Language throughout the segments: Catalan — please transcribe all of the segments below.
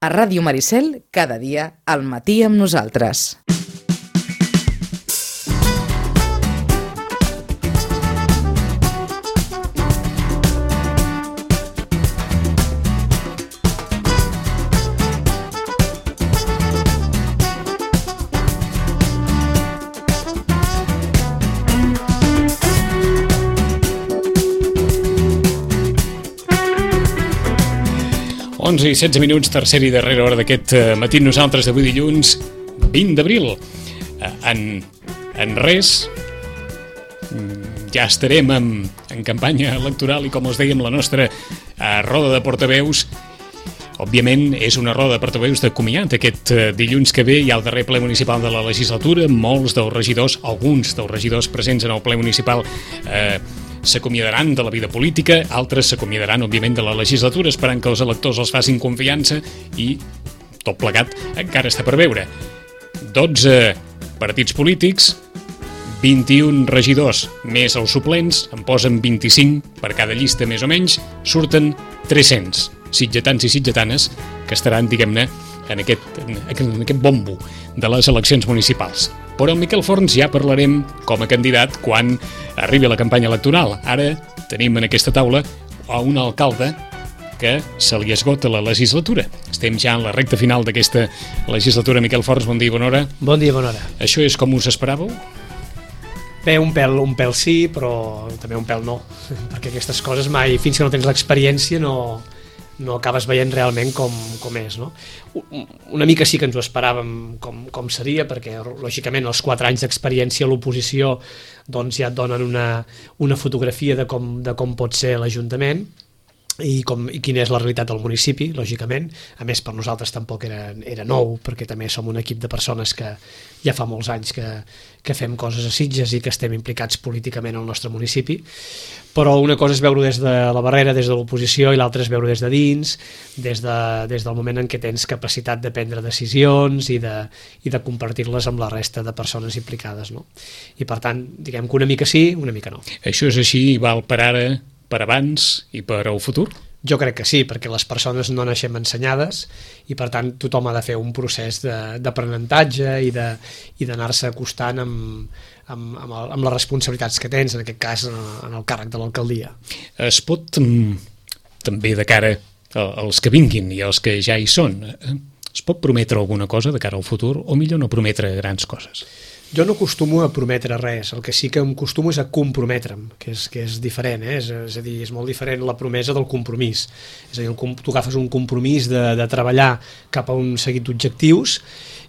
A Ràdio Maricel, cada dia al matí amb nosaltres. I 16 minuts, tercera i darrera hora d'aquest matí nosaltres d'avui dilluns 20 d'abril. En res, ja estarem en campanya electoral i, com us dèiem, la nostra roda de portaveus, òbviament, és una roda de portaveus de comiat. Aquest dilluns que ve hi ha el darrer ple municipal de la legislatura. Molts dels regidors, alguns dels regidors presents en el ple municipal s'acomiadaran de la vida política, altres s'acomiadaran, òbviament, de la legislatura, esperant que els electors els facin confiança i tot plegat encara està per veure. 12 partits polítics, 21 regidors més els suplents, en posen 25 per cada llista més o menys, surten 300 sitgetans i sitgetanes que estaran, diguem-ne, en aquest bombo de les eleccions municipals. Però amb Miquel Forns ja parlarem com a candidat quan arribi la campanya electoral. Ara tenim en aquesta taula un alcalde que se li esgota la legislatura. Estem ja en la recta final d'aquesta legislatura. Miquel Forns, bon dia i bona hora. Bon dia i bona hora. Això és com us esperàveu? Bé, un pèl sí, però també un pèl no, perquè aquestes coses mai, fins que no tens l'experiència, no acabes veient realment com és, no? Una mica sí que ens ho esperàvem com seria, perquè lògicament els 4 anys d'experiència a l'oposició doncs ja et donen una fotografia de com pot ser l'Ajuntament i quina és la realitat del municipi, lògicament. A més, per nosaltres tampoc era nou, perquè també som un equip de persones que ja fa molts anys que fem coses a Sitges i que estem implicats políticament al nostre municipi. Però una cosa és veure des de la barrera, des de l'oposició, i l'altra és veure des de dins, des del moment en què tens capacitat de prendre decisions i de compartir-les amb la resta de persones implicades, no? I per tant, diguem que una mica sí, una mica no. Això és així i val per ara, per abans i per al futur? Jo crec que sí, perquè les persones no naixem ensenyades i per tant tothom ha de fer un procés d'aprenentatge i d'anar-se acostant amb les responsabilitats que tens, en aquest cas en el càrrec de l'alcaldia. Es pot, també de cara als que vinguin i als que ja hi són, es pot prometre alguna cosa de cara al futur o millor no prometre grans coses? Jo no acostumo a prometre res, el que sí que em acostumo és a comprometre'm, que és diferent, és a dir, és molt diferent la promesa del compromís. És a dir, tu agafes un compromís de treballar cap a un seguit d'objectius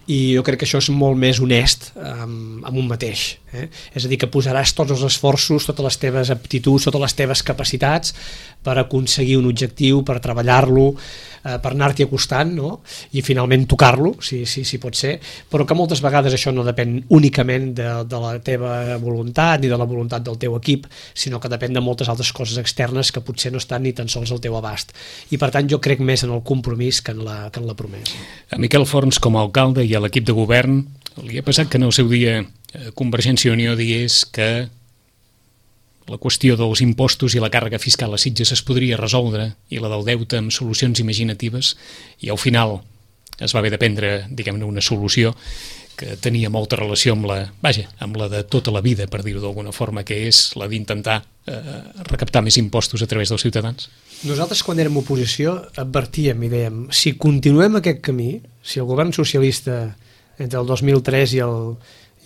i jo crec que això és molt més honest amb un mateix. És a dir, que posaràs tots els esforços, totes les teves aptituds, totes les teves capacitats per aconseguir un objectiu, per treballar-lo, per anar-t'hi acostant, no? I finalment tocar-lo, si pot ser, però que moltes vegades això no depèn únicament de la teva voluntat ni de la voluntat del teu equip, sinó que depèn de moltes altres coses externes que potser no estan ni tan sols al teu abast. I per tant jo crec més en el compromís que en la promesa. A Miquel Forns, com a alcalde i a l'equip de govern, li ha passat que en el seu dia Convergència i Unió digués que la qüestió dels impostos i la càrrega fiscal a Sitges es podria resoldre i la del deute amb solucions imaginatives i al final es va haver de prendre, diguem-ne, una solució que tenia molta relació amb la de tota la vida, per dir-ho d'alguna forma, que és la d'intentar recaptar més impostos a través dels ciutadans. Nosaltres, quan érem oposició, advertíem i dèiem, si continuem aquest camí, si el govern socialista entre el 2003 i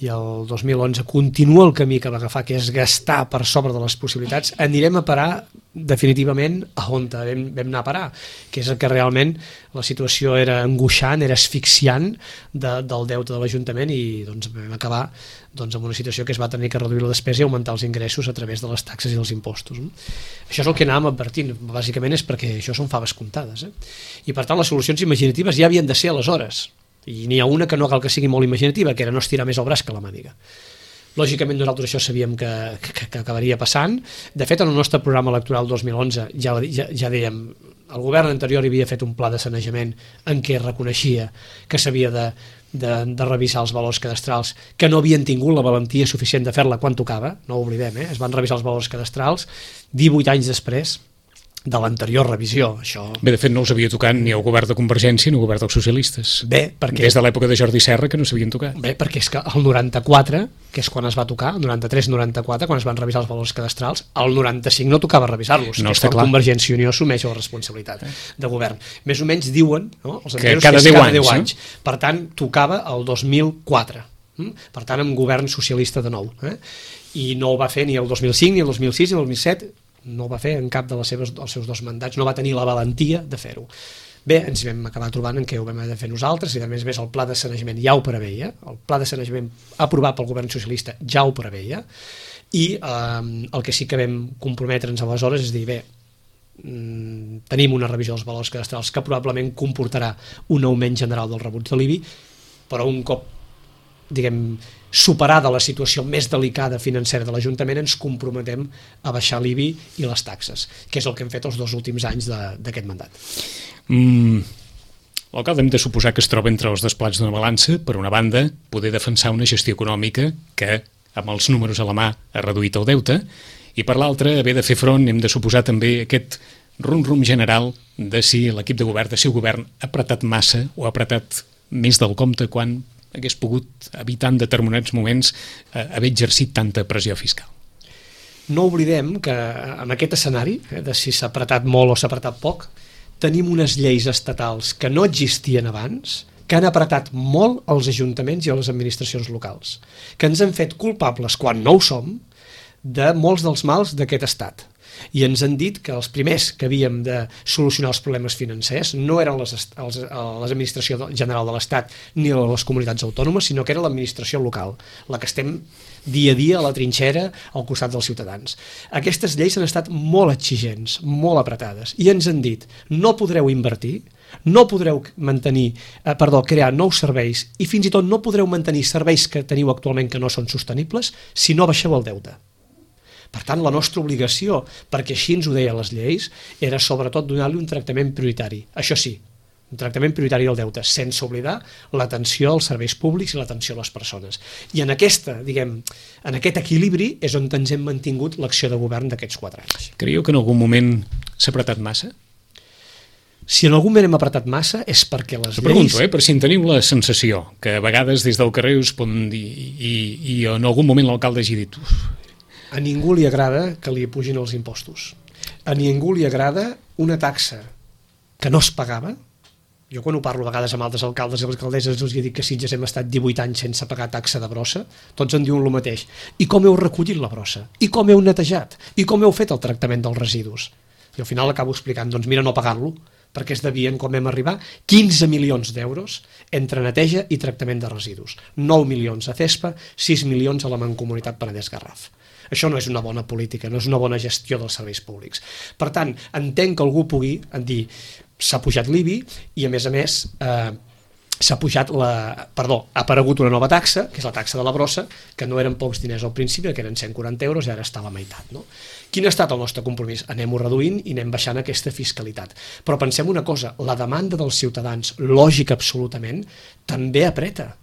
el 2011 continua el camí que va agafar, que és gastar per sobre de les possibilitats, anirem a parar definitivament a on vam anar a parar, que és el que realment la situació era angoixant, era asfixiant del deute de l'Ajuntament i doncs vam acabar amb una situació que es va tenir que reduir la despesa i augmentar els ingressos a través de les taxes i els impostos. Això és el que anàvem advertint, bàsicament és perquè això són faves comptades. I per tant les solucions imaginatives ja havien de ser aleshores. I n'hi ha una que no cal que sigui molt imaginativa, que era no estirar més el braç que la màniga. Lògicament nosaltres això sabíem que acabaria passant. De fet, en el nostre programa electoral 2011 ja dèiem, el govern anterior havia fet un pla de sanejament en què reconeixia que s'havia de revisar els valors cadastrals, que no havien tingut la valentia suficient de fer-la quan tocava, no ho oblidem, es van revisar els valors cadastrals 18 anys després, de l'anterior revisió. Això... Bé, de fet, no us havia tocat ni el govern de Convergència ni el govern dels socialistes. Bé, perquè... Des de l'època de Jordi Serra que no s'havien tocat. Bé, perquè és que el 94, que és quan es va tocar, el 93-94, quan es van revisar els valors cadastrals, el 95 no tocava revisar-los, no, que és quan Convergència i Unió assumeix la responsabilitat de govern. Més o menys diuen, no? Els que cada 10 anys. Per tant, tocava el 2004. Per tant, amb govern socialista de nou. I no ho va fer ni el 2005, ni el 2006, ni el 2007, no ho va fer en cap dels seus 2 mandats, no va tenir la valentia de fer-ho. Bé, ens vam acabar trobant en què ho vam haver de fer nosaltres, i a més el pla de sanejament ja ho preveia, el pla de sanejament aprovat pel govern socialista ja ho preveia, i el que sí que vam comprometre'ns aleshores és dir, bé, tenim una revisió dels valors cadastrals que probablement comportarà un augment general del rebuig de l'IBI, però un cop, diguem, superada la situació més delicada financera de l'Ajuntament, ens comprometem a baixar l'IBI i les taxes, que és el que hem fet els 2 últims anys d'aquest mandat. L'alcalde hem de suposar que es troba entre els desplats d'una balança, per una banda, poder defensar una gestió econòmica que, amb els números a la mà, ha reduït el deute, i per l'altra, haver de fer front, hem de suposar també aquest rum-rum general de si l'equip de govern, de si el govern ha apretat massa o ha apretat més del compte quan hagués pogut evitar en determinats moments haver exercit tanta pressió fiscal. No oblidem que en aquest escenari, de si s'ha apretat molt o s'ha apretat poc, tenim unes lleis estatals que no existien abans, que han apretat molt els ajuntaments i les administracions locals, que ens han fet culpables, quan no ho som, de molts dels mals d'aquest estat. I ens han dit que els primers que havíem de solucionar els problemes financers no eren l'administració general de l'Estat ni les comunitats autònomes, sinó que era l'administració local, la que estem dia a dia a la trinxera al costat dels ciutadans. Aquestes lleis han estat molt exigents, molt apretades, i ens han dit no podreu invertir, no podreu crear nous serveis i fins i tot no podreu mantenir serveis que teniu actualment que no són sostenibles si no baixeu el deute. Per tant, la nostra obligació, perquè així ens ho deien les lleis, era sobretot donar-li un tractament prioritari. Això sí, un tractament prioritari del deute, sense oblidar l'atenció als serveis públics i l'atenció a les persones. I en aquest equilibri és on ens hem mantingut l'acció de govern d'aquests 4 anys. Creieu que en algun moment s'ha apretat massa? Si en algun moment hem apretat massa és perquè les lleis... Pregunto, per si en teniu la sensació, que a vegades des del carrer us poden dir, i en algun moment l'alcalde hagi dit... A ningú li agrada que li pugin els impostos. A ningú li agrada una taxa que no es pagava. Jo quan ho parlo a vegades amb altres alcaldes i alcaldesses els dic que Sitges hem estat 18 anys sense pagar taxa de brossa, tots en diuen el mateix. I com heu recollit la brossa? I com heu netejat? I com heu fet el tractament dels residus? I al final acabo explicant, doncs mira, no pagar-lo, perquè es devien, quan vam arribar, 15 milions d'euros entre neteja i tractament de residus. 9 milions a CESPA, 6 milions a la Mancomunitat Penedès-Garraf. Això no és una bona política, no és una bona gestió dels serveis públics. Per tant, entenc que algú pugui dir s'ha pujat l'IBI i, a més, s'ha aparegut una nova taxa, que és la taxa de la brossa, que no eren pocs diners al principi, que eren 140 euros i ara està a la meitat. No? Quin ha estat el nostre compromís? Anem-ho reduint i anem baixant aquesta fiscalitat. Però pensem una cosa, la demanda dels ciutadans, lògica absolutament, també apreta.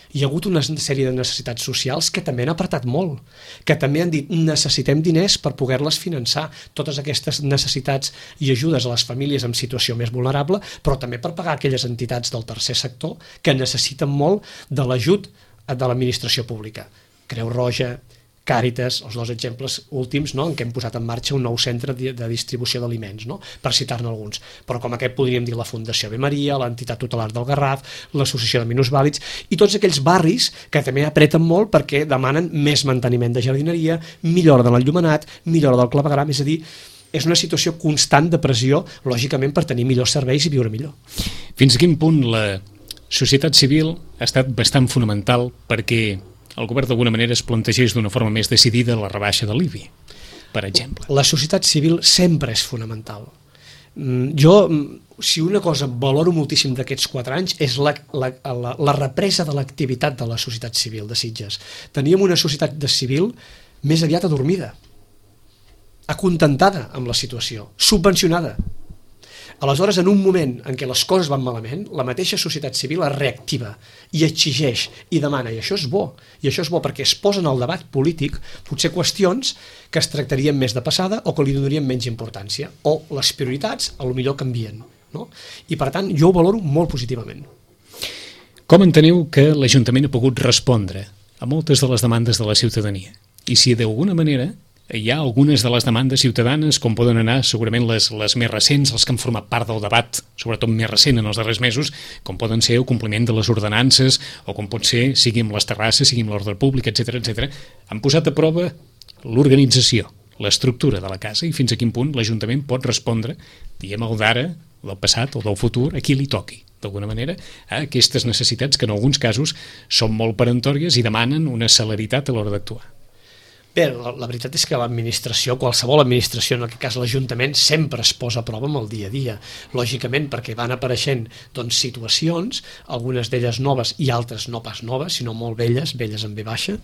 Hi ha hagut una sèrie de necessitats socials que també han apretat molt, que també han dit necessitem diners per poder-les finançar, totes aquestes necessitats i ajudes a les famílies en situació més vulnerable, però també per pagar aquelles entitats del tercer sector que necessiten molt de l'ajut de l'administració pública. Creu Roja, Càritas, els 2 exemples últims, no?, en què hem posat en marxa un nou centre de distribució d'aliments, no?, per citar-ne alguns. Però com aquest podríem dir la Fundació Ave Maria, l'Entitat Tutelar del Garraf, l'Associació de Minusvàlids i tots aquells barris que també apreten molt perquè demanen més manteniment de jardineria, millora de l'enllumenat, millora del clavegueram, és a dir, és una situació constant de pressió, lògicament, per tenir millors serveis i viure millor. Fins a quin punt la societat civil ha estat bastant fonamental perquè el govern d'alguna manera es plantegés d'una forma més decidida la rebaixa de l'IBI, per exemple? La societat civil sempre és fonamental. Jo, si una cosa valoro moltíssim d'aquests 4 anys és la represa de l'activitat de la societat civil de Sitges. Teníem una societat civil més aviat adormida, acontentada amb la situació, subvencionada. Aleshores, en un moment en què les coses van malament, la mateixa societat civil es reactiva i exigeix i demana, i això és bo. I això és bo perquè es posen al debat polític potser qüestions que es tractarien més de passada o que li donarien menys importància, o les prioritats a lo millor canvien, no? I per tant, jo ho valoro molt positivament. Com enteneu que l'Ajuntament ha pogut respondre a moltes de les demandes de la ciutadania? I si d'alguna manera hi ha algunes de les demandes ciutadanes, com poden anar segurament les més recents, els que han format part del debat, sobretot més recent en els darrers mesos, com poden ser el compliment de les ordenances, o com pot ser, sigui amb les terrasses, sigui amb l'ordre públic, etc., han posat a prova l'organització, l'estructura de la casa, i fins a quin punt l'Ajuntament pot respondre, diguem el d'ara, del passat o del futur, a qui li toqui, d'alguna manera, a aquestes necessitats que en alguns casos són molt peremptòries i demanen una celeritat a l'hora d'actuar. Bé, la veritat és que l'administració, qualsevol administració, en aquest cas l'Ajuntament, sempre es posa a prova amb el dia a dia. Lògicament, perquè van apareixent situacions, algunes d'elles noves i altres no pas noves, sinó molt velles en V baixa,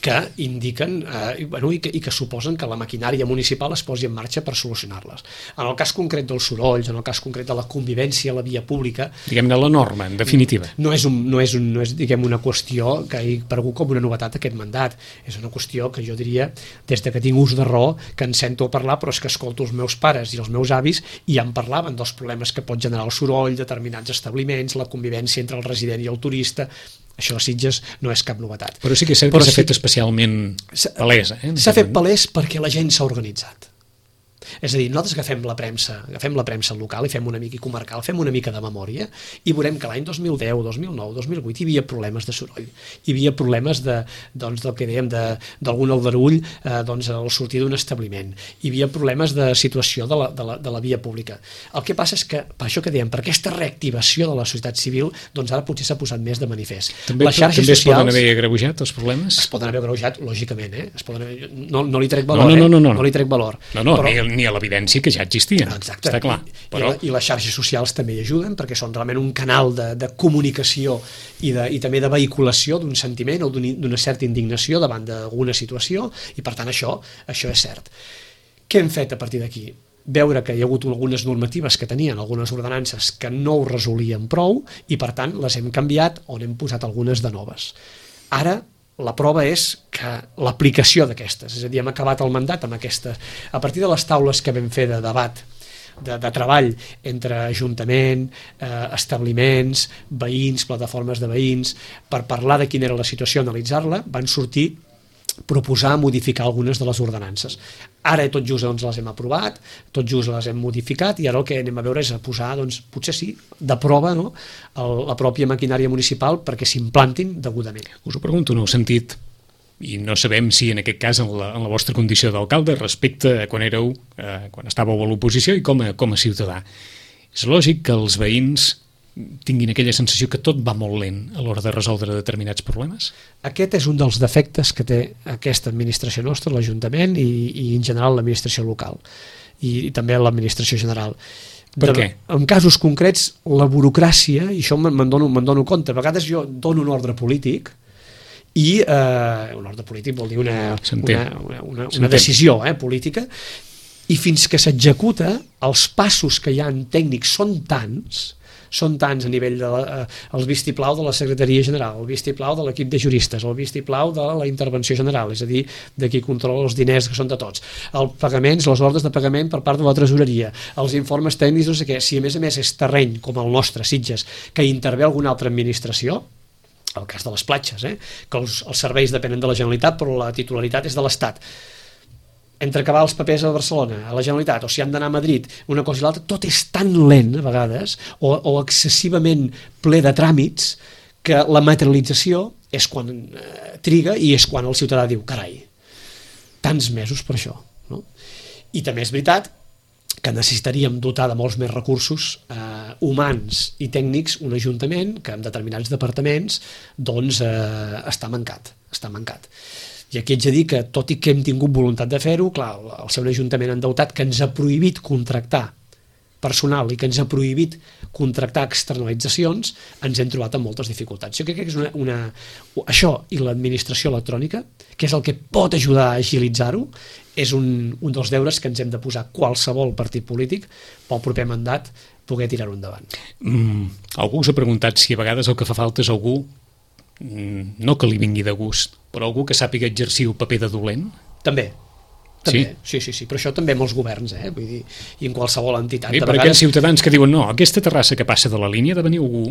que indiquen i que suposen que la maquinària municipal es posi en marxa per solucionar-les. En el cas concret dels sorolls, en el cas concret de la convivència a la via pública... Diguem-ne la norma, en definitiva. No és diguem, una qüestió que ha aparegut com una novetat aquest mandat. És una qüestió que jo diria, des de que tinc ús de raó, que en sento a parlar, però és que escolto els meus pares i els meus avis i ja en parlaven dels problemes que pot generar el soroll, determinats establiments, la convivència entre el resident i el turista. Això a Sitges no és cap novetat. Però sí que és cert que s'ha fet especialment palès. S'ha fet palès perquè la gent s'ha organitzat. És a dir, nosaltres agafem la premsa local i fem una mica comarcal, fem una mica de memòria i veurem que l'any 2010, 2009, 2008 hi havia problemes de soroll, hi havia problemes del que dèiem d'algun aldarull al sortir d'un establiment, hi havia problemes de situació de la via pública. El que passa és que, per això que dèiem, per aquesta reactivació de la societat civil, doncs ara potser s'ha posat més de manifest. També es poden haver agreujat els problemes? Es poden haver agreujat, lògicament, no li trec valor, no li trec valor. Ni a l'evidència que ja existia. Exacte. Està clar. Però... I les xarxes socials també hi ajuden, perquè són realment un canal de comunicació i també de vehiculació d'un sentiment o d'una certa indignació davant d'alguna situació, i per tant això és cert. Què hem fet a partir d'aquí? Veure que hi ha hagut algunes normatives que tenien, algunes ordenances que no ho resolien prou, i per tant les hem canviat o n'hem posat algunes de noves. Ara la prova és que l'aplicació d'aquestes, és a dir, hem acabat el mandat amb aquestes, a partir de les taules que vam fer de debat, de treball entre ajuntament, establiments, veïns, plataformes de veïns, per parlar de quina era la situació, analitzar-la, van sortir proposar modificar algunes de les ordenances. Ara tot just les hem aprovat, tot just les hem modificat, i ara el que anem a veure és a posar, potser sí, de prova la pròpia maquinària municipal perquè s'implantin degudament. Us ho pregunto en el sentit, i no sabem si en aquest cas en la vostra condició d'alcalde respecte a quan estàveu a l'oposició i com a ciutadà. És lògic que els veïns tinguin aquella sensació que tot va molt lent a l'hora de resoldre determinats problemes? Aquest és un dels defectes que té aquesta administració nostra, l'Ajuntament i en general l'administració local i també l'administració general. Per què? En casos concrets, la burocràcia, i això me'n dono compte, a vegades jo dono un ordre polític i un ordre polític vol dir una decisió política, i fins que s'executa els passos que hi ha en tècnics són tants a nivell del vistiplau de la Secretaria General, el vistiplau de l'equip de juristes, el vistiplau de la intervenció general, és a dir, de qui controla els diners que són de tots, els pagaments, les ordres de pagament per part de la tresoreria, els informes tècnics, no sé què. Si a més és terreny com el nostre, Sitges, que intervé alguna altra administració, el cas de les platges, que els serveis depenen de la Generalitat però la titularitat és de l'Estat, entre acabar els papers a Barcelona, a la Generalitat, o si han d'anar a Madrid, una cosa i l'altra, tot és tan lent a vegades, o excessivament ple de tràmits, que la materialització és quan triga i és quan el ciutadà diu, carai, tants mesos per això. No? I també és veritat que necessitaríem dotar de molts més recursos humans i tècnics un ajuntament que en determinats departaments està mancat. I aquí haig de dir que, tot i que hem tingut voluntat de fer-ho, clar, el ser un ajuntament endeutat que ens ha prohibit contractar personal i que ens ha prohibit contractar externalitzacions, ens hem trobat amb moltes dificultats. Jo crec que és això i l'administració electrònica, que és el que pot ajudar a agilitzar-ho, és un dels deures que ens hem de posar qualsevol partit polític pel proper mandat poder tirar-ho endavant. Algú us ha preguntat si a vegades el que fa falta és algú, no que li vingui de gust, però algú que sàpiga exercir el paper de dolent? També. Sí, però això també amb els governs, vull dir, i en qualsevol entitat. Per aquells ciutadans que diuen no, aquesta terrassa que passa de la línia ha de venir algú,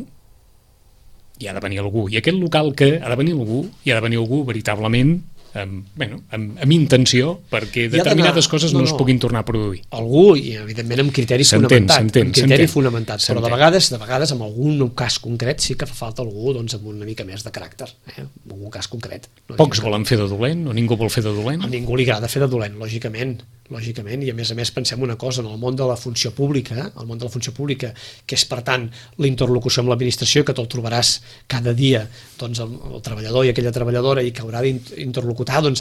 i ha de venir algú, i aquest local que ha de venir algú, i ha de venir algú veritablement amb intenció perquè determinades coses no es puguin tornar a produir. Algú, i evidentment amb criteri fonamentat, però de vegades en algun cas concret sí que fa falta algú amb una mica més de caràcter, en algun cas concret. Pocs volen fer de dolent, o ningú vol fer de dolent? A ningú li agrada fer de dolent, lògicament, i a més pensem una cosa, en el món de la funció pública, que és per tant la interlocució amb l'administració, que te'l trobaràs cada dia el treballador i aquella treballadora, i que haurà d'interlocutar amb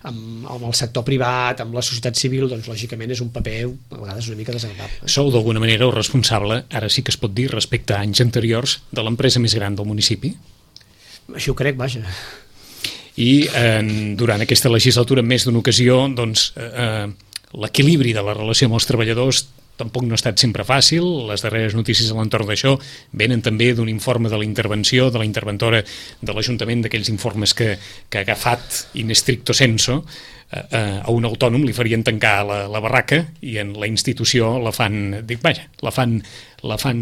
el sector privat, amb la societat civil, lògicament és un paper a vegades una mica desagradable. Sou d'alguna manera el responsable, ara sí que es pot dir, respecte a anys anteriors, de l'empresa més gran del municipi? Així ho crec, vaja. I durant aquesta legislatura en més d'una ocasió l'equilibri de la relació amb els treballadors tampoc no ha estat sempre fàcil. Les darreres notícies a l'entorn d'això venen també d'un informe de la intervenció de la interventora de l'Ajuntament, d'aquells informes que ha agafat in stricto sensu a un autònom li farien tancar la barraca i en la institució la fan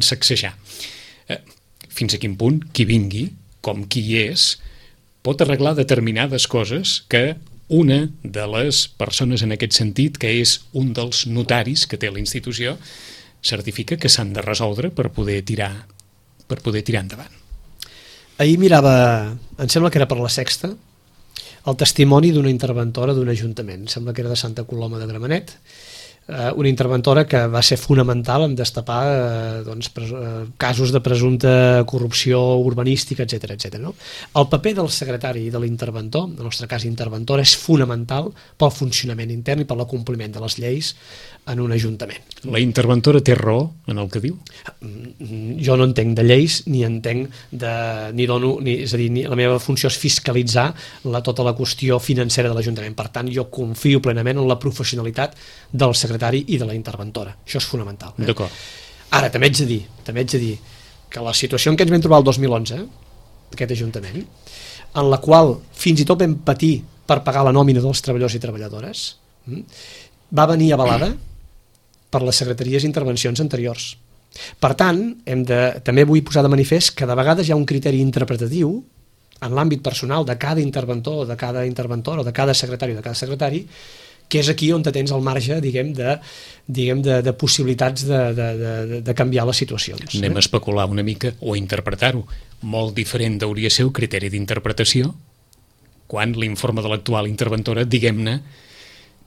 sacsejar. Fins a quin punt qui vingui, com qui és, pot arreglar determinades coses que una de les persones en aquest sentit, que és un dels notaris que té la institució, certifica que s'han de resoldre per poder tirar endavant. Ahir mirava, em sembla que era per La Sexta, el testimoni d'una interventora d'un ajuntament, sembla que era de Santa Coloma de Gramenet, una interventora que va ser fonamental en destapar casos de presumpta corrupció urbanística, etc. No? El paper del secretari i de l'interventor, en el nostre cas interventora, és fonamental pel funcionament intern i per l'acompliment de les lleis en un ajuntament. La interventora té raó en el que diu? Jo no entenc de lleis, ni entenc és a dir, la meva funció és fiscalitzar tota la qüestió financera de l'Ajuntament. Per tant, jo confio plenament en la professionalitat del secretari i de la interventora. Això és fonamental. D'acord. Ara, també haig de dir que la situació en què ens vam trobar el 2011, aquest Ajuntament, en la qual fins i tot vam patir per pagar la nòmina dels treballadors i treballadores, va venir avalada per les secretaries d'intervencions anteriors. Per tant, també vull posar de manifest que de vegades hi ha un criteri interpretatiu en l'àmbit personal de cada interventor, de cada interventora o de cada secretari, que és aquí on tens el marge, de possibilitats de canviar les situacions. Anem a especular una mica o a interpretar-ho. Molt diferent hauria ser el criteri d'interpretació quan l'informe de l'actual interventora, diguem-ne,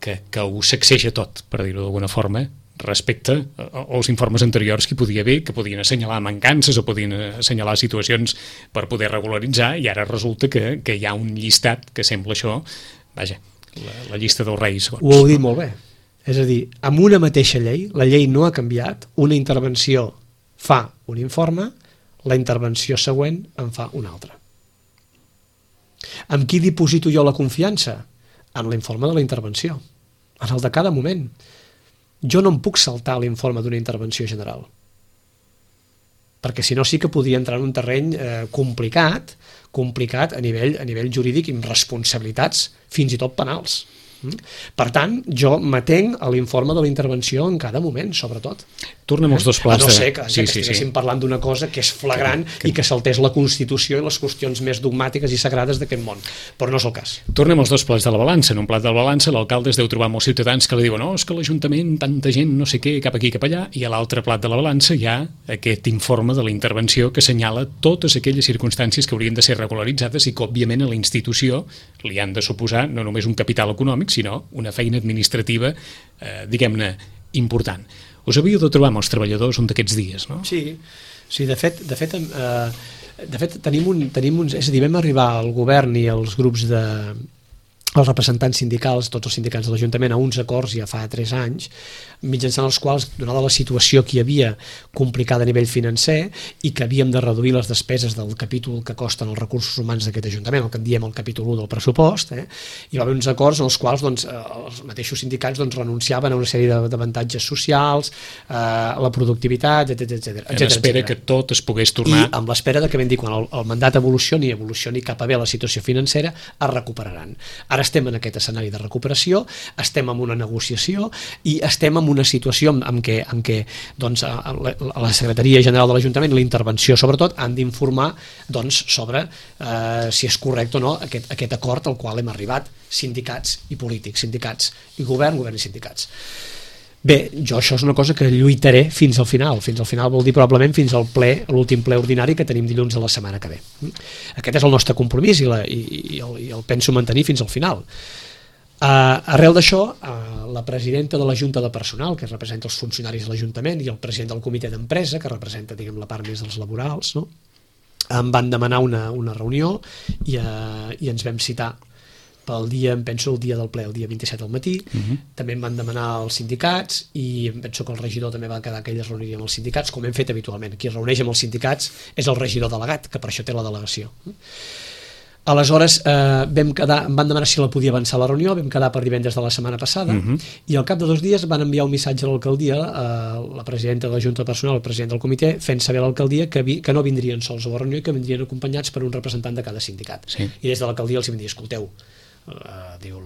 que ho sacseja tot, per dir-ho d'alguna forma, respecte als informes anteriors que podia haver, que podien assenyalar mancances o podien assenyalar situacions per poder regularitzar, i ara resulta que hi ha un llistat que sembla això, vaja, la llista dels reis. Ho heu dit molt bé. És a dir, amb una mateixa llei, la llei no ha canviat, una intervenció fa un informe, la intervenció següent en fa una altra. Amb qui diposito jo la confiança? En l'informe de la intervenció, en el de cada moment. Jo no em puc saltar l'informe d'una intervenció general, perquè si no sí que podria entrar en un terreny complicat a nivell jurídic i amb responsabilitats fins i tot penals. Per tant, jo m'atenc a l'informe de la intervenció en cada moment, sobretot. Tornem als dos plans. A no ser que estiguéssim parlant d'una cosa que és flagrant i que saltés la Constitució i les qüestions més dogmàtiques i sagrades d'aquest món, però no és el cas. Tornem als dos plats de la balança. En un plat de la balança l'alcalde es deu trobar molts ciutadans que li diuen és que l'Ajuntament, tanta gent, no sé què, cap aquí, cap allà, i a l'altre plat de la balança hi ha aquest informe de la intervenció que assenyala totes aquelles circumstàncies que haurien de ser regularitzades i que, òbviament, a la institució li han de suposar no només un capital econòmic, sinó una feina administrativa, diguem-ne, important. Us havíeu de trobar amb els treballadors un d'aquests dies, no? Sí, de fet tenim un... És a dir, vam arribar al govern i als grups els representants sindicals, tots els sindicats de l'Ajuntament, a uns acords ja fa 3 anys, mitjançant els quals, donada la situació que hi havia complicada a nivell financer i que havíem de reduir les despeses del capítol que costen els recursos humans d'aquest Ajuntament, el que en diem el capítol 1 del pressupost, hi va haver uns acords en els quals els mateixos sindicats renunciaven a una sèrie d'avantatges socials, la productivitat, etc. En espera que tot es pogués tornar... I amb l'espera que vam dir, quan el mandat evolucioni cap a bé la situació financera, es recuperaran. Ara estem en aquest escenari de recuperació, estem en una negociació i estem en una situació en què doncs, la Secretaria General de l'Ajuntament, la intervenció sobretot, han d'informar sobre si és correcte o no aquest acord al qual hem arribat sindicats i polítics, sindicats i govern i sindicats. Bé, jo això és una cosa que lluitaré fins al final. Fins al final vol dir probablement fins al ple, l'últim ple ordinari que tenim dilluns de la setmana que ve. Aquest és el nostre compromís i el penso mantenir fins al final. Arrel d'això, la presidenta de la Junta de Personal, que representa els funcionaris de l'Ajuntament, i el president del comitè d'empresa, que representa, diguem, la part més dels laborals, no? Em van demanar una reunió i ens vam citar pel dia, em penso, el dia del ple, el dia 27 al matí. També em van demanar els sindicats i em penso que el regidor també va quedar que ell es reuniria amb els sindicats, com hem fet habitualment. Qui es reuneix amb els sindicats és el regidor delegat, que per això té la delegació. Aleshores em van demanar si la podia avançar la reunió, vam quedar per divendres de la setmana passada i al cap de 2 dies van enviar un missatge a l'alcaldia, la presidenta de la Junta de Personal, el president del comitè, fent saber a l'alcaldia que no vindrien sols a la reunió i que vindrien acompanyats per un representant de cada sindicat. Sí. I des de l'alcaldia els vam dir, escolteu, diu,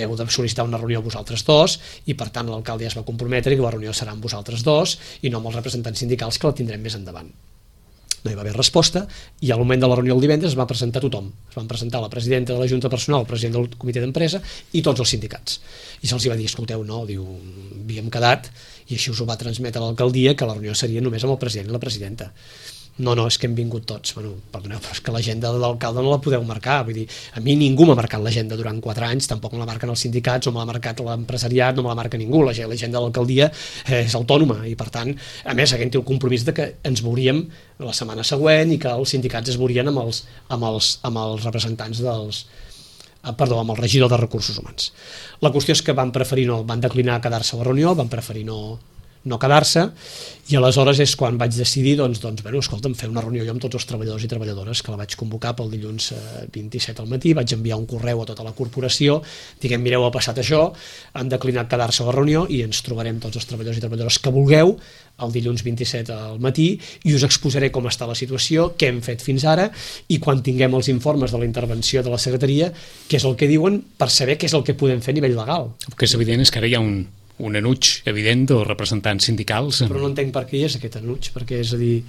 veu de sol·licitar una reunió vosaltres dos i per tant l'alcalde ja es va comprometre que la reunió serà amb vosaltres dos i no amb els representants sindicals, que la tindrem més endavant. No hi va haver resposta i al moment de la reunió el divendres es va presentar tothom. Es van presentar la presidenta de la Junta Personal, el president del comitè d'empresa i tots els sindicats. I se'ls va dir, escolteu, no, diu, havíem quedat i així us ho va transmetre l'alcaldia que la reunió seria només amb el president i la presidenta. No, és que hem vingut tots. Bueno, perdoneu, però és que l'agenda de l'alcalde no la podeu marcar. Vull dir, a mi ningú m'ha marcat l'agenda durant 4 anys, tampoc me la marquen els sindicats, o me l'ha marcat l'empresariat, no me la marca ningú. L'agenda de l'alcaldia és autònoma i, per tant, a més, aquest té el compromís de que ens veuríem la setmana següent i que els sindicats es veurien amb els representants amb el regidor de Recursos Humans. La qüestió és que van declinar quedar-se a la reunió, van preferir no quedar-se, i aleshores és quan vaig decidir escolta'm, fer una reunió jo amb tots els treballadors i treballadores, que la vaig convocar pel dilluns 27 al matí, vaig enviar un correu a tota la corporació, diguem, mireu, ha passat això, han declinat quedar-se a la reunió i ens trobarem tots els treballadors i treballadores que vulgueu el dilluns 27 al matí i us exposaré com està la situació, què hem fet fins ara i quan tinguem els informes de la intervenció de la secretaria, què és el que diuen, per saber què és el que podem fer a nivell legal. El que és evident és que ara hi ha un enuig evident dels representants sindicals. Però no entenc per què hi és aquest enuig, perquè és a dir,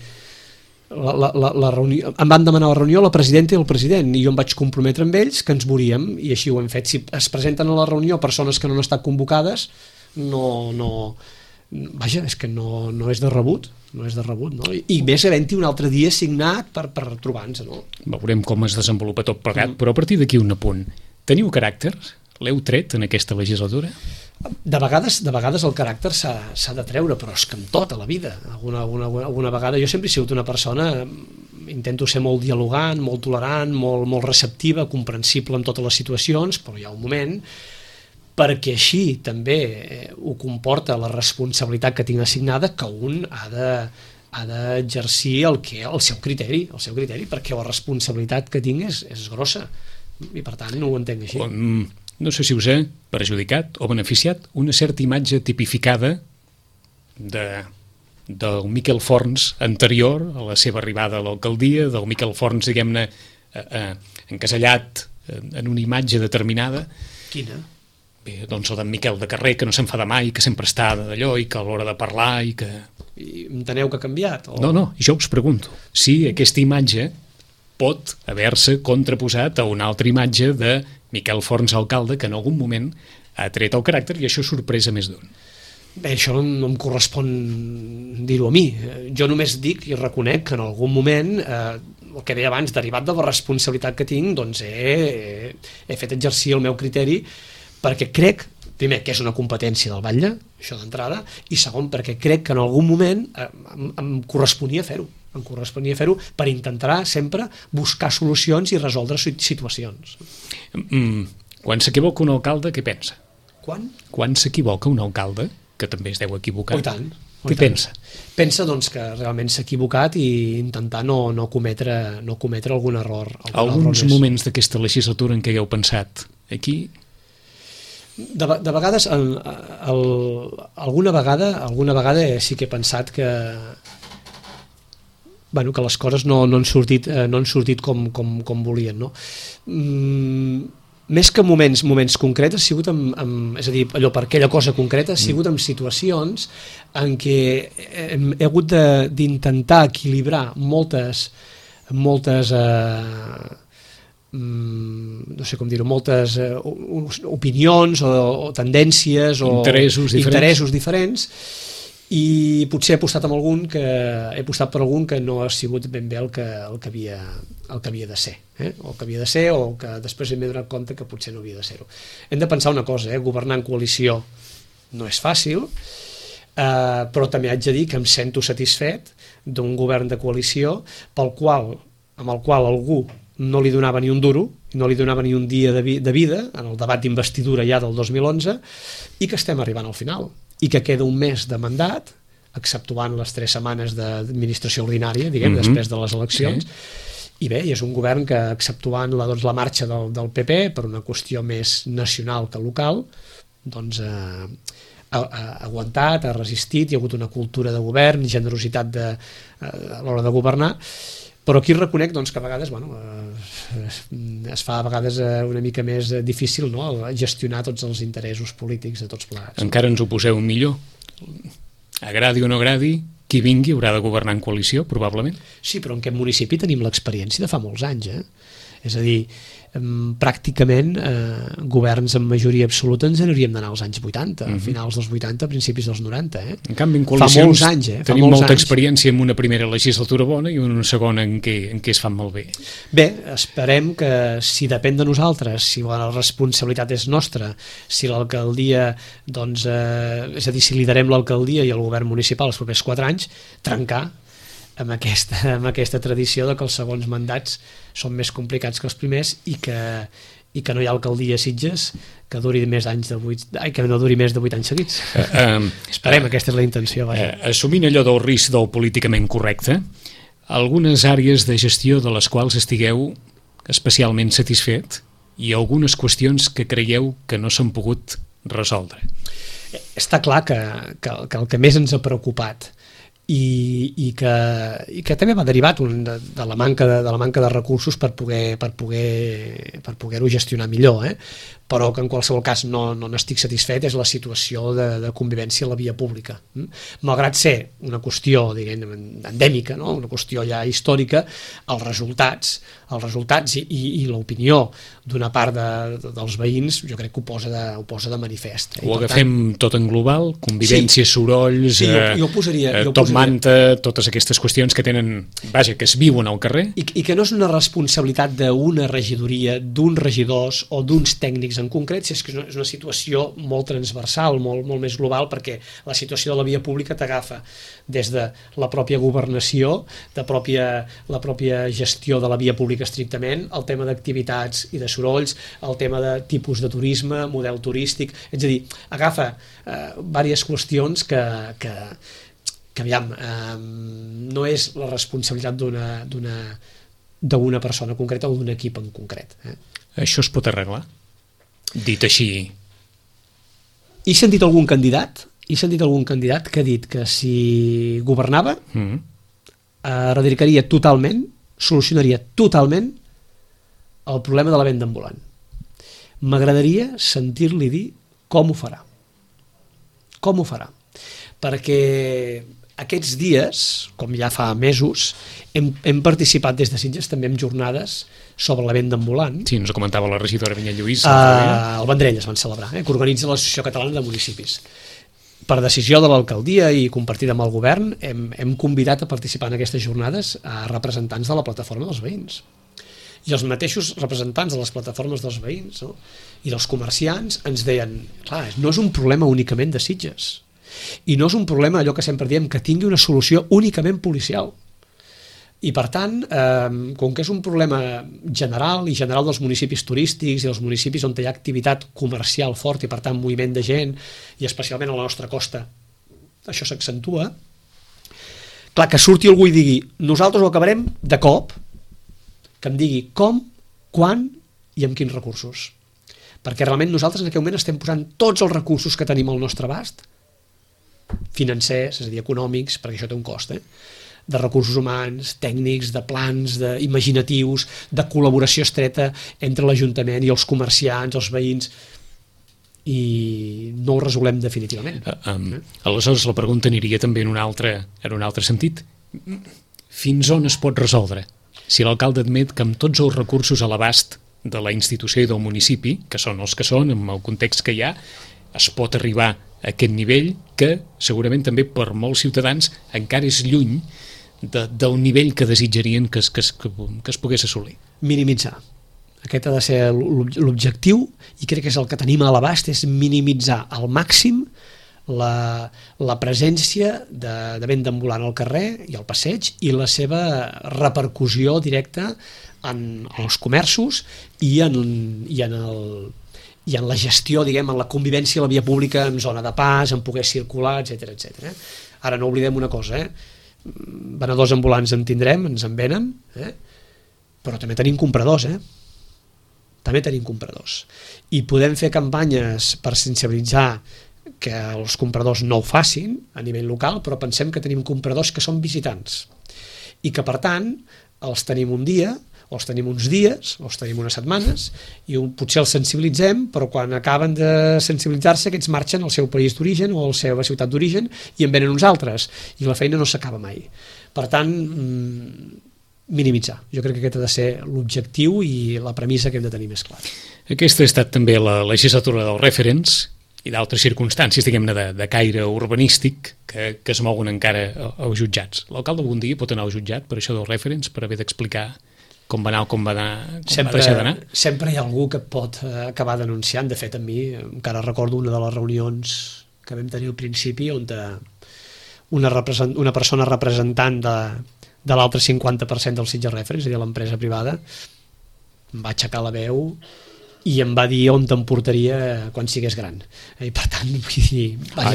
la reunió, em van demanar la reunió la presidenta i el president i jo em vaig comprometre amb ells que ens veuríem i així ho hem fet. Si es presenten a la reunió persones que no han estat convocades, vaja, és que no és de rebut, no? I més havent-hi un altre dia signat per trobar-nos, no? Veurem com es desenvolupa tot plegat, però a partir d'aquí un apunt. Teniu caràcter? L'heu tret en aquesta legislatura? De vegades el caràcter s'ha de treure, però és que en tota la vida. Alguna vegada jo sempre he sigut una persona, intento ser molt dialogant, molt tolerant, molt receptiva, comprensible en totes les situacions, però hi ha un moment, perquè així també ho comporta la responsabilitat que tinc assignada, que un ha d'exercir el seu criteri, perquè la responsabilitat que tinc és grossa, i per tant no ho entenc així. No sé si us ha perjudicat o beneficiat una certa imatge tipificada del Miquel Forns anterior a la seva arribada a l'alcaldia, del Miquel Forns, diguem-ne, encasellat en una imatge determinada. Quina? Bé, doncs el d'en Miquel de carrer, que no s'enfada mai, que sempre està d'allò i que a l'hora de parlar i que... I enteneu que ha canviat? O... No, jo us pregunto si aquesta imatge pot haver-se contraposat a una altra imatge de Miquel Forns alcalde, que en algun moment ha tret el caràcter i això sorpresa més d'un. Bé, això no em correspon dir-ho a mi. Jo només dic i reconec que en algun moment, el que deia abans, derivat de la responsabilitat que tinc, doncs he fet exercir el meu criteri perquè crec, primer, que és una competència del batlle, això d'entrada, i segon, perquè crec que en algun moment em corresponia fer-ho. Em corresponia fer-ho per intentar sempre buscar solucions i resoldre situacions. Quan s'equivoca un alcalde, què pensa? Quan s'equivoca un alcalde, que també es deu equivocar, Oh, i tant. què pensa? Pensa doncs, que realment s'ha equivocat i intentar no cometre algun error. Alguns moments d'aquesta legislatura en què hagueu pensat aquí... De vegades, alguna vegada sí que he pensat que les coses no han sortit com volien, no? Més que moments concrets, ha sigut és a dir, allò per aquella cosa concreta, ha sigut en situacions en què he hagut d'intentar equilibrar moltes no sé com dir-ho, moltes opinions o tendències o interessos diferents, i potser he apostat per algun que no ha sigut ben bé el que havia de ser, o que després m'he donat compte que potser no havia de ser-ho. Hem de pensar una cosa, governar en coalició no és fàcil, però també haig de dir que em sento satisfet d'un govern de coalició amb el qual algú no li donava ni un duro, no li donava ni un dia de vida en el debat d'investidura ja del 2011, i que estem arribant al final, i que queda un mes de mandat, exceptuant les 3 setmanes d'administració ordinària, després de les eleccions, i bé, és un govern que, exceptuant la marxa del PP per una qüestió més nacional que local, doncs ha aguantat, ha resistit, hi ha hagut una cultura de govern, generositat a l'hora de governar, però aquí reconec que a vegades es fa una mica més difícil, no?, gestionar tots els interessos polítics de tots plegats. Encara ens ho poseu millor. Agradi o no agradi, qui vingui haurà de governar en coalició, probablement. Sí, però en aquest municipi tenim l'experiència de fa molts anys, És a dir, pràcticament governs amb majoria absoluta ens n'hauríem d'anar als anys 80, finals dels 80, principis dels 90. En canvi, en coalicions tenim molta experiència en una primera legislatura bona i una segona en què es fan molt bé. Bé, esperem que, si depèn de nosaltres, si la responsabilitat és nostra, si l'alcaldia, és a dir, si liderem l'alcaldia i el govern municipal els propers 4 anys, trencar amb aquesta tradició de que els segons mandats són més complicats que els primers i que no hi ha alcaldia a Sitges que duri més que no duri més de 8 anys seguits. Esperem, aquesta és la intenció. Assumint allò del risc del políticament correcte, algunes àrees de gestió de les quals estigueu especialment satisfet i algunes qüestions que creieu que no s'han pogut resoldre. Està clar que el que més ens ha preocupat i que també va derivat de la manca de recursos per poder-ho gestionar millor, però que en qualsevol cas no n'estic satisfet, és la situació de convivència a la via pública. Malgrat ser una qüestió, endèmica, no?, una qüestió ja històrica, els resultats i l'opinió d'una part dels veïns jo crec que ho posa de manifest. Ho agafem tot en global, convivència, sorolls, top manta, totes aquestes qüestions que tenen, que es viuen al carrer. I que no és una responsabilitat d'una regidoria, d'uns regidors o d'uns tècnics en concret, si és que és una situació molt transversal, molt més global, perquè la situació de la via pública t'agafa des de la pròpia governació, la pròpia gestió de la via pública estrictament, el tema d'activitats i de sorolls, el tema de tipus de turisme, model turístic, és a dir, agafa diverses qüestions que aviam, no és la responsabilitat d'una persona concreta o d'un equip en concret. Això es pot arreglar? Dit així... He sentit algun candidat que ha dit que si governava erradicaria totalment, solucionaria totalment el problema de la venda ambulant. M'agradaria sentir-li dir com ho farà. Com ho farà? Perquè aquests dies, com ja fa mesos, hem participat des de Sitges també en jornades sobre la venda ambulant. Sí, ens ho comentava la regidora Vinyet Lluís. Al Vendrell es van celebrar, que organitza l'Associació Catalana de Municipis. Per decisió de l'alcaldia i compartida amb el govern, hem convidat a participar en aquestes jornades a representants de la plataforma dels veïns. I els mateixos representants de les plataformes dels veïns, no?, i dels comerciants ens deien, clar, no és un problema únicament de Sitges, i no és un problema, allò que sempre diem, que tingui una solució únicament policial. I per tant, com que és un problema general dels municipis turístics i els municipis on hi ha activitat comercial fort i per tant moviment de gent, i especialment a la nostra costa això s'accentua, clar, que surti algú i digui nosaltres ho acabarem de cop, que em digui com, quan i amb quins recursos, perquè realment nosaltres en aquest moment estem posant tots els recursos que tenim al nostre abast, financers, és a dir, econòmics, perquè això té un cost, de recursos humans, tècnics, de plans, imaginatius, de col·laboració estreta entre l'Ajuntament i els comerciants, els veïns, i no ho resolem definitivament. Aleshores la pregunta aniria també en un altre sentit. Fins on es pot resoldre? Si l'alcalde admet que amb tots els recursos a l'abast de la institució i del municipi, que són els que són, amb el context que hi ha, es pot arribar a aquest nivell que segurament també per molts ciutadans encara és lluny del nivell que desitjarien que es pogués assolir. Minimitzar. Aquest ha de ser l'objectiu i crec que és el que tenim a l'abast, és minimitzar al màxim la presència de venda ambulant al carrer i al passeig i la seva repercussió directa en els comerços i en la gestió, diguem, en la convivència a la via pública, en zona de pas, en poder circular, etc. Ara no oblidem una cosa, venedors ambulants en tindrem, ens en venen, però també tenim compradors, també tenim compradors. I podem fer campanyes per sensibilitzar que els compradors no ho facin a nivell local, però pensem que tenim compradors que són visitants i que, per tant, els tenim un dia, o els tenim uns dies, o els tenim unes setmanes, i potser els sensibilitzem, però quan acaben de sensibilitzar-se aquests marxen al seu país d'origen o a la seva ciutat d'origen i en venen uns altres, i la feina no s'acaba mai. Per tant, minimitzar. Jo crec que aquest ha de ser l'objectiu i la premissa que hem de tenir més clar. Aquesta ha estat també la legislatura dels referents i d'altres circumstàncies, diguem-ne, de caire urbanístic que es mouen encara als jutjats. L'alcalde algun dia pot anar al jutjat per això dels referents, per haver d'explicar com va anar o com va deixar d'anar? Sempre hi ha algú que pot acabar denunciant. De fet, a mi encara recordo una de les reunions que vam tenir al principi on una persona representant de l'altre 50% del Sitges Referents, és a dir, l'empresa privada, em va aixecar la veu i em va dir on te'n portaria quan sigués gran. I per tant, vull dir... Ara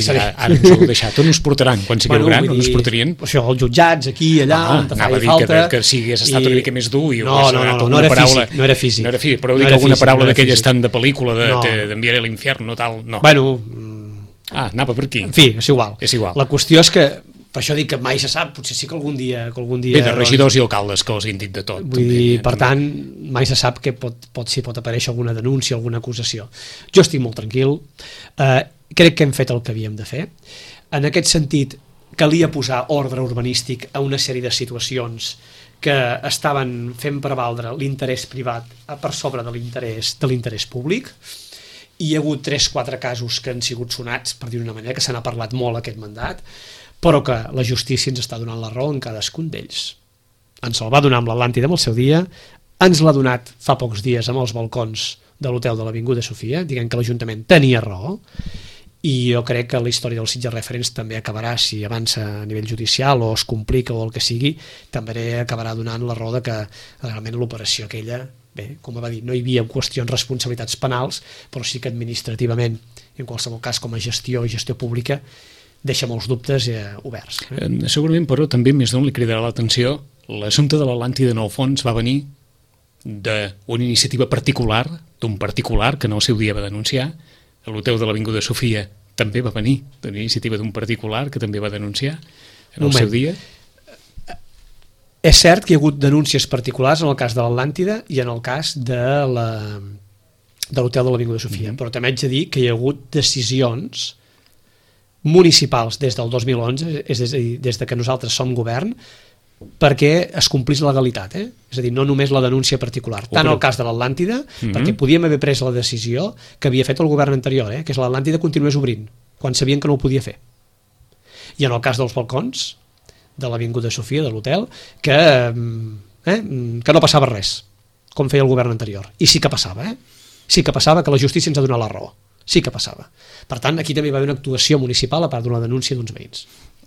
ens ho heu deixat. On us portaran quan sigueu gran? On us portarien? Això, als jutjats, aquí, allà, on te faci falta... Anava a dir que si hagués estat una mica més dur i no era físic. No era físic, però dic alguna paraula d'aquelles tan de pel·lícula d'enviaré a l'infern, no tal, no. Bueno... anava per aquí. En fi, és igual. És igual. La qüestió és que per això dic que mai se sap, potser sí que algun dia... Bé, de regidors i alcaldes que els han dit de tot. Vull dir, per tant, mai se sap que pot aparèixer alguna denúncia, alguna acusació. Jo estic molt tranquil, crec que hem fet el que havíem de fer. En aquest sentit, calia posar ordre urbanístic a una sèrie de situacions que estaven fent prevaldre l'interès privat per sobre de l'interès públic. Hi ha hagut 3-4 casos que han sigut sonats, per dir-ho d'una manera, que se n'ha parlat molt aquest mandat, però que la justícia ens està donant la raó en cadascun d'ells. Ens el va donar amb l'Atlàntida en el seu dia, ens l'ha donat fa pocs dies amb els balcons de l'hotel de l'Avinguda Sofia, dient que l'Ajuntament tenia raó, i jo crec que la història dels Sitges Referents també acabarà, si avança a nivell judicial o es complica o el que sigui, també acabarà donant la raó de que realment l'operació aquella, bé, com va dir, no hi havia qüestions responsabilitats penals, però sí que administrativament, en qualsevol cas com a gestió pública, deixa molts dubtes oberts. Segurament, però, també més d'on li cridarà l'atenció l'assumpte de l'Atlàntida en el fons va venir d'una iniciativa particular, d'un particular que en el seu dia va denunciar. L'hotel de l'Avinguda Sofia també va venir d'una iniciativa d'un particular que també va denunciar en el seu dia. És cert que hi ha hagut denúncies particulars en el cas de l'Atlàntida i en el cas de l'hotel de l'Avinguda Sofia, però també haig de dir que hi ha hagut decisions municipals des del 2011, és a dir, des que nosaltres som govern, perquè es complís la legalitat, és a dir, no només la denúncia particular, tant el cas de l'Atlàntida, perquè podíem haver pres la decisió que havia fet el govern anterior, que és l'Atlàntida continués obrint, quan sabien que no ho podia fer. I en el cas dels balcons de l'Avinguda Sofia, de l'hotel, que no passava res, com feia el govern anterior. I sí que passava, sí que passava, que la justícia ens ha donat la raó. Sí que passava. Per tant, aquí també va haver una actuació municipal a part d'una denúncia d'uns veïns.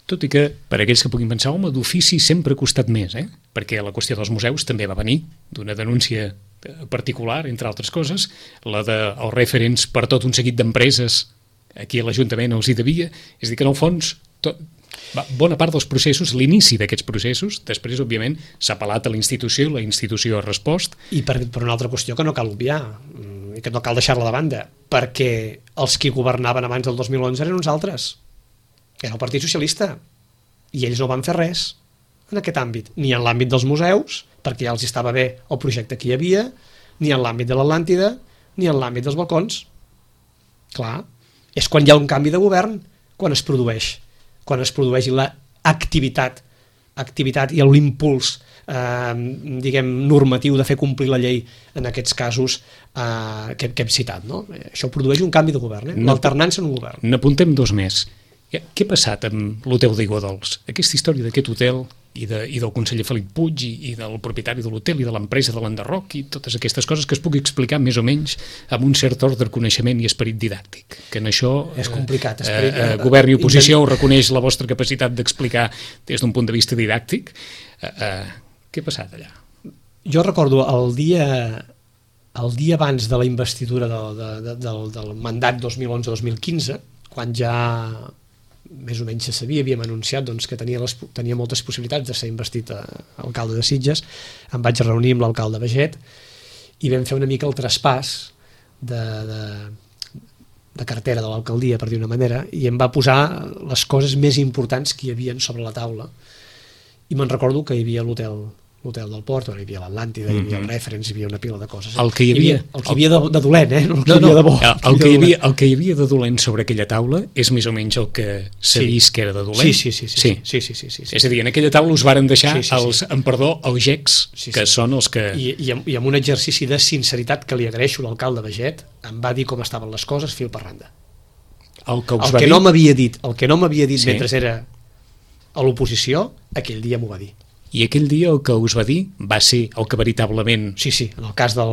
Tot i que, per aquells que puguin pensar, home, d'ofici sempre ha costat més, perquè la qüestió dels museus també va venir d'una denúncia particular, entre altres coses, la dels referents per tot un seguit d'empreses aquí a l'Ajuntament els hi devia, és a dir que en el fons bona part dels processos, l'inici d'aquests processos, després òbviament s'ha apel·lat a la institució ha respost. I per una altra qüestió que no cal obviar i que no cal deixar-la de banda, perquè els qui governaven abans del 2011 eren uns altres, era el Partit Socialista, i ells no van fer res en aquest àmbit, ni en l'àmbit dels museus, perquè ja els estava bé el projecte que hi havia, ni en l'àmbit de l'Atlàntida, ni en l'àmbit dels balcons. Clar, és quan hi ha un canvi de govern, quan es produeix l'activitat i l'impuls normatiu de fer complir la llei en aquests casos que hem citat, no? Això produeix un canvi de govern, l'alternança en un govern. N'apuntem dos més. Què ha passat amb l'hotel d'Aiguadols? Aquesta història d'aquest hotel i del conseller Felip Puig i del propietari de l'hotel i de l'empresa de l'Enderroc i totes aquestes coses que es pugui explicar més o menys amb un cert ordre de coneixement i esperit didàctic, que en això és complicat, govern i oposició ho reconeix la vostra capacitat d'explicar des d'un punt de vista didàctic. Què ha passat allà? Jo recordo el dia abans de la investidura del mandat 2011-2015, quan ja més o menys se sabia, havíem anunciat que tenia moltes possibilitats de ser investit alcalde de Sitges, em vaig reunir amb l'alcalde Baget i vam fer una mica el traspàs de cartera de l'alcaldia, per dir una manera, i em va posar les coses més importants que hi havia sobre la taula. I me'n recordo que hi havia l'hotel del Port, hi havia l'Atlàntida, hi havia el Reference, hi havia una pila de coses. El que hi havia de dolent, no el que hi havia de bo. El que hi havia de dolent sobre aquella taula és més o menys el que s'ha vist que era de dolent. Sí. És a dir, en aquella taula us varen deixar els gecs, que són els que... I amb un exercici de sinceritat que li agraeixo a l'alcalde Baget, em va dir com estaven les coses fil per randa. El que no m'havia dit mentre era a l'oposició, aquell dia m'ho va dir. I aquell dia el que us va dir va ser el que veritablement... Sí, en el cas del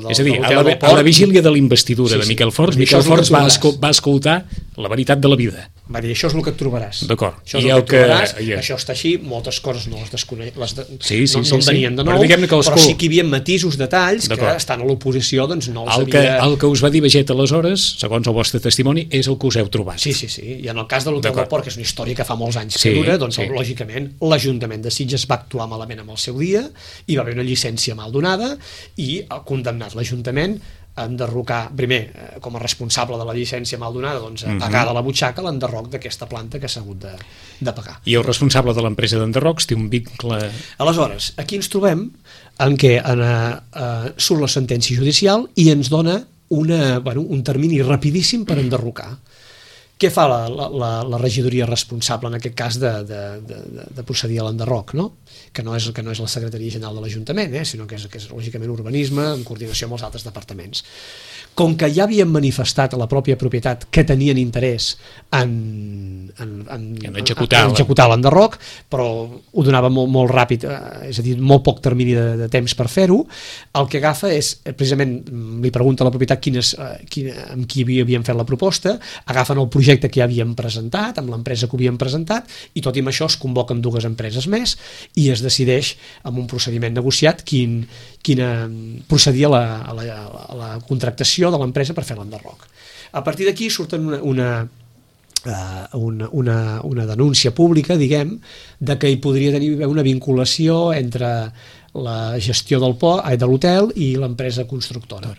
és a dir, a la vigília de l'investidura de Miquel Forns, Miquel Forns va escoltar la veritat de la vida. Va dir, això és el que et trobaràs. D'acord. Això és el que et trobaràs, això està així, moltes coses no les desconeix, no en tenien de nou, però sí que hi havia matisos, detalls, que estant a l'oposició no els havia... El que us va dir Baget aleshores, segons el vostre testimoni, és el que us heu trobat. Sí, i en el cas de l'Hotel del Port, que és una història que fa molts anys que dura, lògicament, l'Ajuntament de Sitges va actuar malament amb el seu dia, hi va haver una llicència mal donada i ha condemnat l'Ajuntament a enderrocar, primer, com a responsable de la llicència mal donada, a pagar de la butxaca l'enderroc d'aquesta planta que s'ha hagut de pagar. I el responsable de l'empresa d'enderrocs té un vincle... Aleshores, aquí ens trobem en què surt la sentència judicial i ens dona un termini rapidíssim per enderrocar. Què fa la regidoria responsable en aquest cas de procedir a l'enderroc, no? Que no és la Secretaria General de l'Ajuntament, sinó que és lògicament urbanisme en coordinació amb els altres departaments. Com que ja havien manifestat a la pròpia propietat que tenien interès en executar l'enderroc, però ho donava molt ràpid, és a dir, molt poc termini de temps per fer-ho, el que agafa és, precisament, li pregunta a la propietat amb qui havien fet la proposta, agafen el projecte que ja havien presentat, amb l'empresa que ho havien presentat, i tot i amb això es convoquen dues empreses més i es decideix amb un procediment negociat quina procedia a la contractació de l'empresa per fer l'enderroc. A partir d'aquí surten una denúncia pública, diguem, de que hi podria haver una vinculació entre la gestió de l'hotel i l'empresa constructora.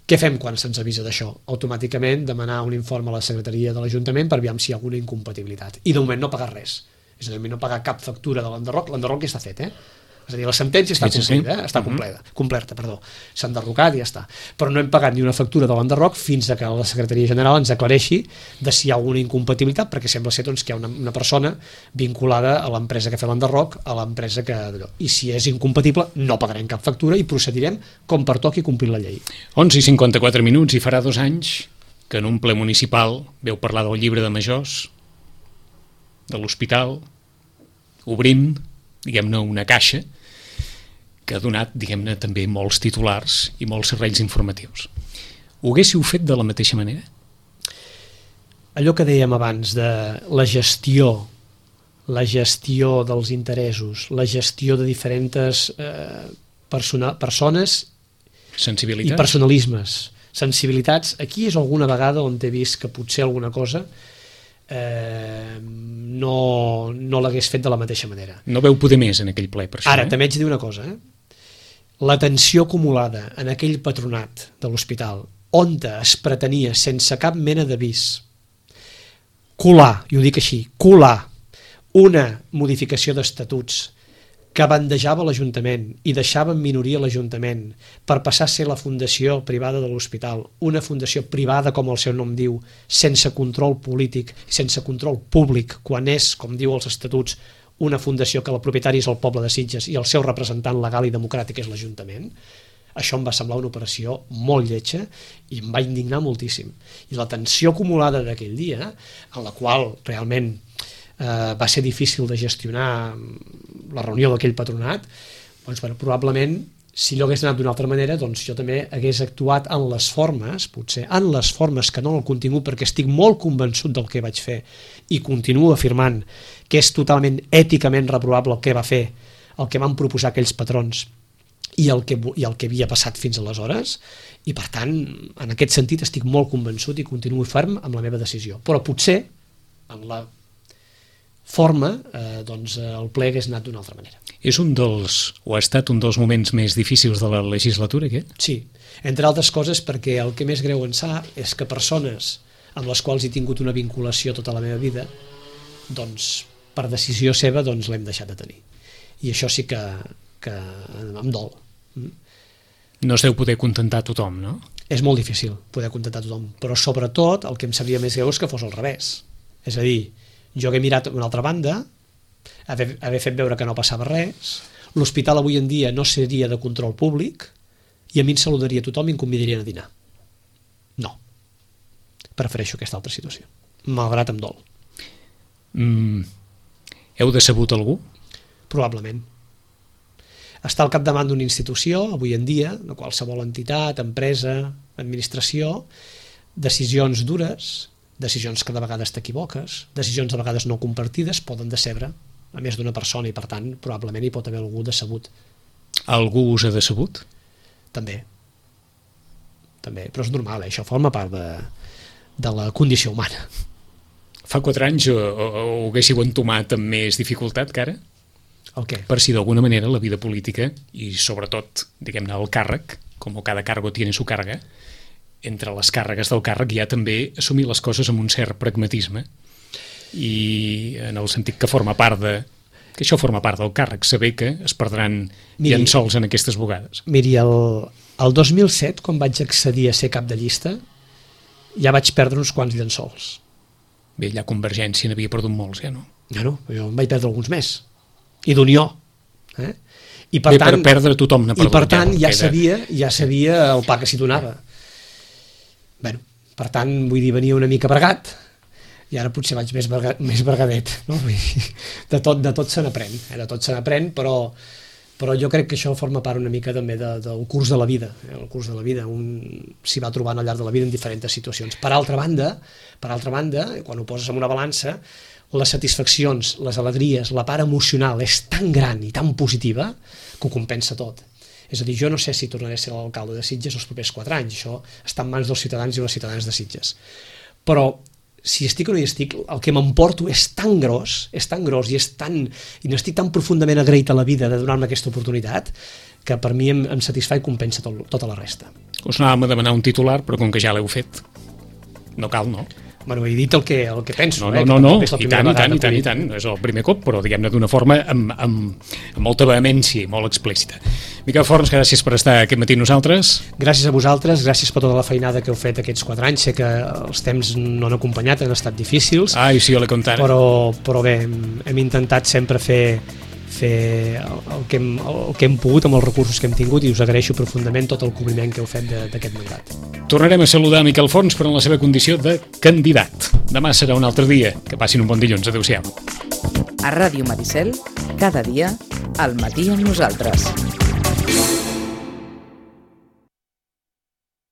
Què fem quan se'ns avisa d'això? Automàticament demanar un informe a la secretaria de l'Ajuntament per veure si hi ha alguna incompatibilitat. I de moment no pagar res. És a dir, no pagar cap factura de l'enderroc. L'enderroc ja està fet, És a dir, la sentència està completa, s'ha enderrocat i ja està. Però no hem pagat ni una factura de l'enderroc fins que la Secretaria General ens aclareixi de si hi ha alguna incompatibilitat, perquè sembla ser que hi ha una persona vinculada a l'empresa que fa l'enderroc, a l'empresa que... I si és incompatible, no pagarem cap factura i procedirem com pertoqui complir la llei. 11:54 i farà 2 anys que en un ple municipal veu parlar del llibre de majors, de l'hospital, obrint, diguem-ne, una caixa que ha donat, diguem-ne, també molts titulars i molts serveis informatius. Ho haguéssiu fet de la mateixa manera? Allò que dèiem abans de la gestió la gestió dels interessos, la gestió de diferents persones i personalismes, sensibilitats. Aquí és alguna vegada on he vist que potser alguna cosa no l'hagués fet de la mateixa manera. No veu poder més en aquell ple, per això. Ara, també haig de dir una cosa, la tensió acumulada en aquell patronat de l'hospital, on es pretenia, sense cap mena d'avís, colar, i ho dic així, colar una modificació d'estatuts que bandejava l'Ajuntament i deixava en minoria l'Ajuntament per passar a ser la fundació privada de l'hospital, una fundació privada, com el seu nom diu, sense control polític, sense control públic, quan és, com diu els estatuts, una fundació que el propietari és el poble de Sitges i el seu representant legal i democràtic és l'Ajuntament. Això em va semblar una operació molt lletja i em va indignar moltíssim. I la tensió acumulada d'aquell dia, en la qual realment va ser difícil de gestionar la reunió d'aquell patronat, doncs probablement, si allò hagués anat d'una altra manera, doncs jo també hagués actuat en les formes, potser en les formes que no en el contingut, perquè estic molt convençut del que vaig fer i continuo afirmant que és totalment èticament reprovable el que va fer, el que van proposar aquells patrons i el que havia passat fins aleshores, i per tant, en aquest sentit estic molt convençut i continuo ferm amb la meva decisió. Però potser, en la forma, doncs el ple hagués anat d'una altra manera. És o ha estat un dels moments més difícils de la legislatura, aquest? Sí, entre altres coses perquè el que més greu en sap és que persones amb les quals he tingut una vinculació tota la meva vida, doncs per decisió seva doncs l'hem deixat de tenir. I això sí que em dol. No es deu poder contentar tothom, no? És molt difícil poder contentar tothom, però sobretot el que em sabria més greu és que fos al revés. És a dir, jo hagué mirat una altra banda, haver fet veure que no passava res, l'hospital avui en dia no seria de control públic i a mi em saludaria tothom i em convidarien a dinar. No. Prefereixo aquesta altra situació, malgrat em dol. Heu decebut algú? Probablement. Estar al capdavant d'una institució, avui en dia, de qualsevol entitat, empresa, administració, decisions dures, decisions que de vegades t'equivoques, decisions de vegades no compartides, poden decebre a més d'una persona i per tant probablement hi pot haver algú decebut. Algú us ha decebut? També, però és normal, això forma part de la condició humana. Fa 4 anys ho haguéssiu entomat amb més dificultat que ara? El què? Per si d'alguna manera la vida política i sobretot, diguem-ne, el càrrec, com cada cargo tiene su carga, entre les càrregues del càrrec hi ha també assumir les coses amb un cert pragmatisme i en el sentit que això forma part del càrrec, saber que es perdran llençols en aquestes bugades. Miri, el 2007, quan vaig accedir a ser cap de llista, ja vaig perdre uns quants llençols. Bé, allà Convergència n'havia perdut molts, ja no? Ja no, jo en vaig perdre alguns més. I d'Unió. I per tant, per perdre tothom n'ha perdut. I per tant ja sabia el pa que s'hi donava. Bueno, per tant, vull dir, venia una mica bregat i ara potser vaig més bregadet, no? De tot se n'aprèn, de tot se n'aprèn, però jo crec que això forma part una mica també del curs de la vida. El curs de la vida, un s'hi va trobant al llarg de la vida en diferents situacions. Per altra banda, quan ho poses en una balança, les satisfaccions, les alegries, la part emocional és tan gran i tan positiva que ho compensa tot. És a dir, jo no sé si tornaré a ser l'alcalde de Sitges els propers 4 anys, això està en mans dels ciutadans i les ciutadanes de Sitges. Però si estic o no hi estic, el que m'emporto és tan gros i n'estic tan profundament agraït a la vida de donar-me aquesta oportunitat que per mi em satisfà i compensa tota la resta. Us anàvem a demanar un titular, però com que ja l'heu fet, no cal, no? Bueno, he dit el que penso. No, i tant, no és el primer cop, però diguem-ne d'una forma amb molta vehemència i molt explícita. Miquel Forns, gràcies per estar aquest matí amb nosaltres. Gràcies a vosaltres, gràcies per tota la feinada que heu fet aquests 4 anys, sé que els temps no han acompanyat, han estat difícils. Ai, sí, jo l'he contat. Però bé, hem intentat sempre fer el que hem pogut amb els recursos que hem tingut i us agraeixo profundament tot el cobriment que heu fet d'aquest mandat. Tornarem a saludar Miquel Forns, però en la seva condició de candidat. Demà serà un altre dia. Que passin un bon dilluns. Adéu-siau. A Ràdio Maricel, cada dia, al matí amb nosaltres.